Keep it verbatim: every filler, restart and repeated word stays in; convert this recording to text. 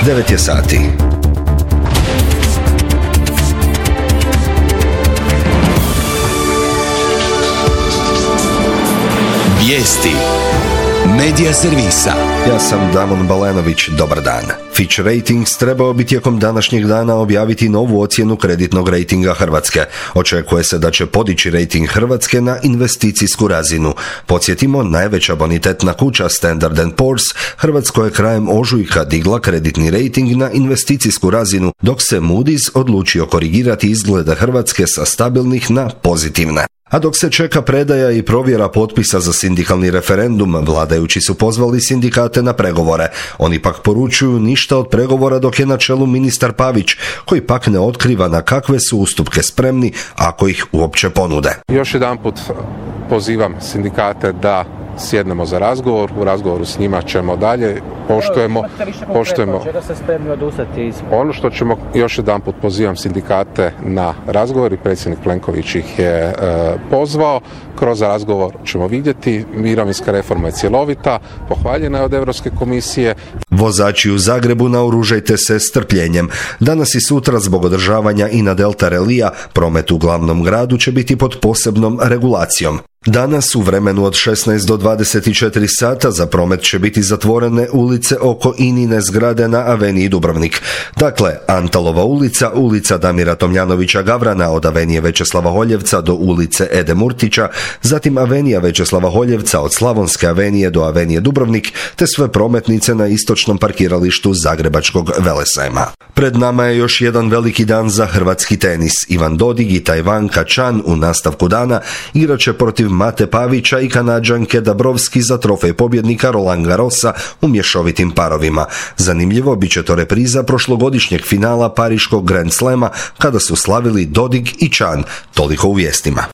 devet je sati. Vijesti Medija servisa. Ja sam Damon Balenović, dobar dan. Fitch Ratings trebao bi tijekom današnjeg dana objaviti novu ocjenu kreditnog rejtinga Hrvatske. Očekuje se da će podići rejting Hrvatske na investicijsku razinu. Podsjetimo, najveća bonitetna kuća Standard and Poor's Hrvatskoj je krajem ožujka digla kreditni rejting na investicijsku razinu, dok se Moody's odlučio korigirati izglede Hrvatske sa stabilnih na pozitivne. A dok se čeka predaja i provjera potpisa za sindikalni referendum, vladajući su pozvali sindikate na pregovore. Oni pak poručuju ništa od pregovora dok je na čelu ministar Pavić, koji pak ne otkriva na kakve su ustupke spremni ako ih uopće ponude. Još jedanput pozivam sindikate da sjednemo za razgovor, u razgovoru s njima ćemo dalje, poštujemo, poštujemo. Ono što ćemo, još jedanput pozivam sindikate na razgovor i predsjednik Plenković ih je e, pozvao, kroz razgovor ćemo vidjeti, mirovinska reforma je cjelovita, pohvaljena je od Europske komisije. Vozači u Zagrebu, naoružajte se strpljenjem. Danas i sutra zbog održavanja Ina Delta relija promet u glavnom gradu će biti pod posebnom regulacijom. Danas u vremenu od šesnaest do dvadeset četiri sata za promet će biti zatvorene ulice oko Inine zgrade na aveniji Dubrovnik. Dakle, Antalova ulica, ulica Damira Tomljanovića Gavrana od avenije Večeslava Holjevca do ulice Ede Murtića, zatim avenija Večeslava Holjevca od Slavonske avenije do avenije Dubrovnik, te sve prometnice na istočnom parkiralištu Zagrebačkog Velesajma. Pred nama je još jedan veliki dan za hrvatski tenis. Ivan Dodig i Tajvanka Chan u nastavku dana igraće protiv Mate Pavića i Kanađanke Dabrowski za trofej pobjednika Roland Garrosa u mješovitim parovima. Zanimljivo, bit će to repriza prošlogodišnjeg finala pariškog Grand Slama kada su slavili Dodig i Chan. Toliko u vijestima.